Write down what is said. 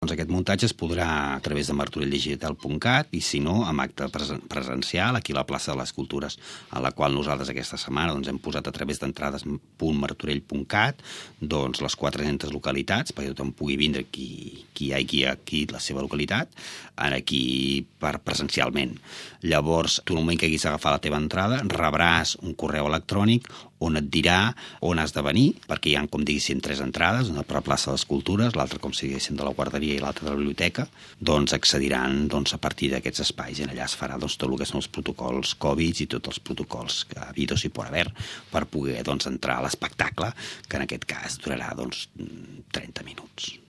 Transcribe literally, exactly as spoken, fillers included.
Doncs aquest muntatge es podrà a través de martorell digital punt cat i, si no, amb acte presencial aquí a la plaça de les Cultures, a la qual nosaltres aquesta setmana doncs, hem posat a través d'entrades punt martorell punt cat doncs, les quatre-centes localitats perquè tothom pugui vindre qui, qui hi hagi aquí la seva localitat aquí per presencialment. Llavors, tu en el moment que haguis agafat la teva entrada rebràs un correu electrònic on et dirà on has de venir, perquè hi ha, com diguéssim, tres entrades, una per la plaça de les Cultures, l'altra, com si diguéssim, de la guarderia i l'altra de la biblioteca, doncs accediran doncs, a partir d'aquests espais i allà es farà doncs, tot el que són els protocols Covid i tots els protocols que habidos i por haver per poder doncs, entrar a l'espectacle, que en aquest cas durarà doncs, trenta minuts.